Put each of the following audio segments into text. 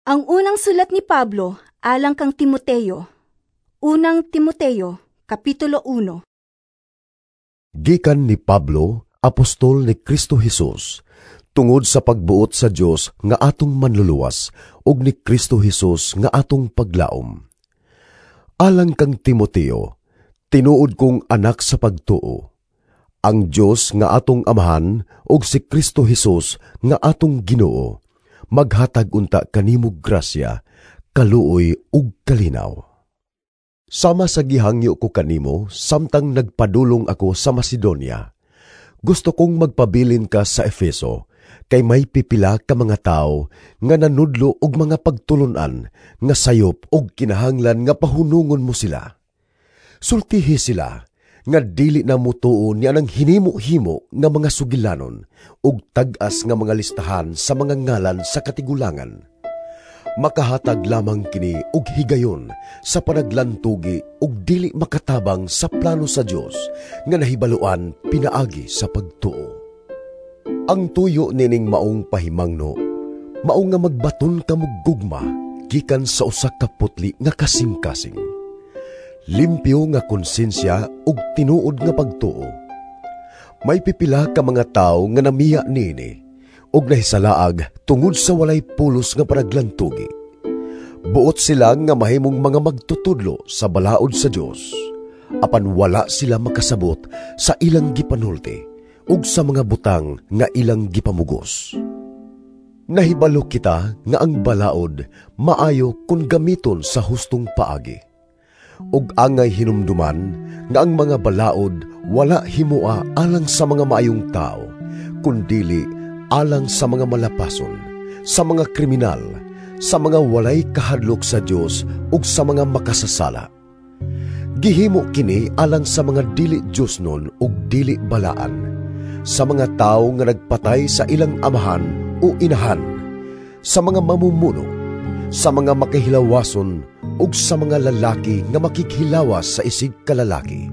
Ang unang sulat ni Pablo alang kang Timoteo. Unang Timoteo, Kapitulo 1. Gikan ni Pablo, apostol ni Kristo Hesus, tungod sa pagbuot sa Dios nga atong manluluwas ug ni Kristo Hesus nga atong paglaom. Alang kang Timoteo, tinuod kong anak sa pagtuo. Ang Dios nga atong Amahan ug si Kristo Hesus nga atong Ginoo maghatag unta kanimo grasya, kaluoy ug kalinaw. Sama sa gihangyo ko kanimo samtang nagpadulong ako sa Macedonia, gusto kong magpabilin ka sa Efeso, kay may pipila ka mga tawo nga nanudlo og mga pagtulon-an nga sayop og kinahanglan nga pahunungon mo sila. Sultihi sila nga dili na mutuo niya ng hinimo-himo nga mga sugilanon ug tag-as nga mga listahan sa mga ngalan sa katigulangan. Makahatag lamang kini og higayon sa panaglantugi ug dili makatabang sa plano sa Dios nga nahibaluan pinaagi sa pagtuo. Ang tuyo nining maong pahimangno, mao nga magbaton ka og gugma gikan sa usa ka putli nga kasing-kasing, limpyo nga konsensya ug tinuod nga pagtuo. May pipila ka mga tawo nga namiya niini ug nahisalaag tungod sa walay pulos nga panaglantugi. Buot sila nga mahimong mga magtutudlo sa balaod sa Dios, apan wala sila makasabot sa ilang gipanulti ug sa mga butang nga ilang gipamugos. Nahibalo kita nga ang balaod maayo kun gamiton sa hustong paagi. Ug angay hinumduman nga ang mga balaod wala himua alang sa mga maayong tao, kundili alang sa mga malapason, sa mga kriminal, sa mga walay kahadlok sa Dios ug sa mga makasasala. Gihimo kini alang sa mga dili Diosnon ug dili balaan, sa mga tawo nga nagpatay sa ilang amahan o inahan, sa mga mamumuno, sa mga makihilawason ug sa mga lalaki nga makikhilawas sa isig kalalaki,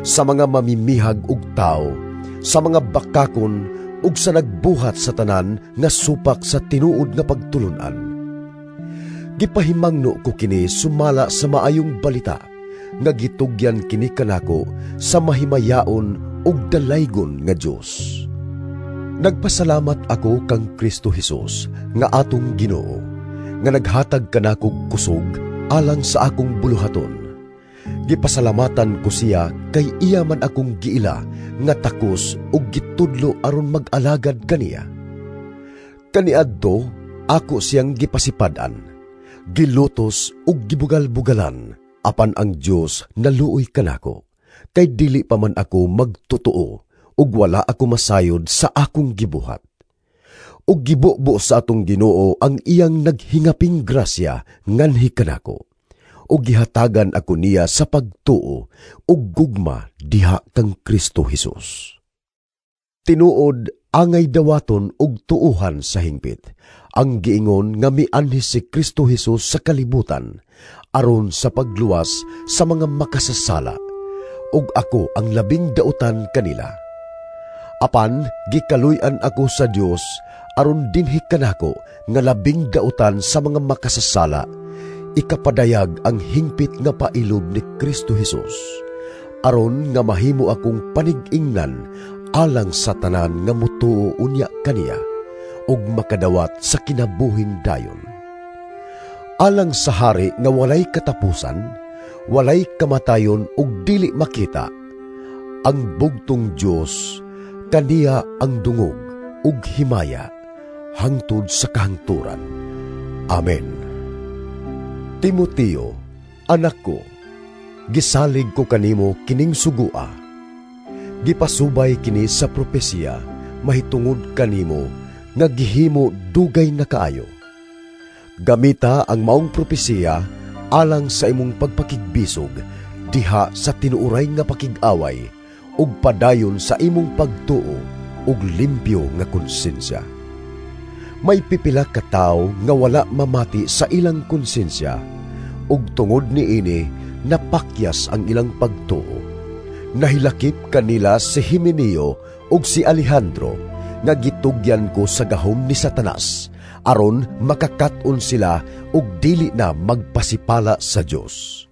sa mga mamimihag og tawo, sa mga bakakon ug sa nagbuhat sa tanan nga supak sa tinuod nga pagtulun-an. Gipahimangno ko kini sumala sa maayong balita nga gitugyan kini kanako sa mahimayaon ug dalaygon nga Dios. Nagpasalamat ako kang Kristo Hesus nga atong Ginoo, nga naghatag kanakog kusog alang sa akong buluhaton. Gipasalamatan ko siya kay iya man akong giila nga takos ug gitudlo aron mag-alagad kaniya. Kaniadto ako siyang gipasipad-an, gilutos ug gibugal-bugalan, apan ang Dios naluoy kanako, kay dili pa man ako magtotoo ug wala ako masayod sa akong gibuhat. Ug gibubo sa atong Ginoo ang iyang naghingaping grasya nganhi kanako, ug gihatagan ako niya sa pagtuo ug gugma diha kang Kristo Hesus. Tinuod angay dawaton ug tuohan sa hingpit ang giingon nga mianhi si Kristo Hesus sa kalibutan aron sa pagluwas sa mga makasasala, ug ako ang labing dautan kanila. Apan gikaluy-an ako sa Dios aron dinhi kanako nga labing dautan sa mga makasasala, ikapadayag ang hingpit nga pailob ni Kristo Hesus, aron nga mahimo akong panig-ingnan alang sa tanan nga mutuo unya kaniya ug makadawat sa kinabuhing dayon. Alang sa hari nga walay katapusan, walay kamatayon ug dili makita, ang bugtong Dios, kaniya ang dungog ug himaya hangtod sa kahangturan. Amen. Timoteo, anak ko, gisalig ko kanimo kining sugua. Gipasubay kini sa propesiya mahitungod kanimo nga gihimo dugay na kaayo. Gamita ang maong propesiya alang sa imong pagpakigbisog diha sa tinuoray nga pakig-away ug padayon sa imong pagtuo ug limpyo nga konsensya. May pipila ka tawo nga wala mamati sa ilang konsensya ug tungod niini napakyas ang ilang pagtuo. Nahilakip kanila si Himeneo ug si Alejandro nga gitugyan ko sa gahom ni Satanas Aron makakat-on sila ug dili na magpasipala sa Dios.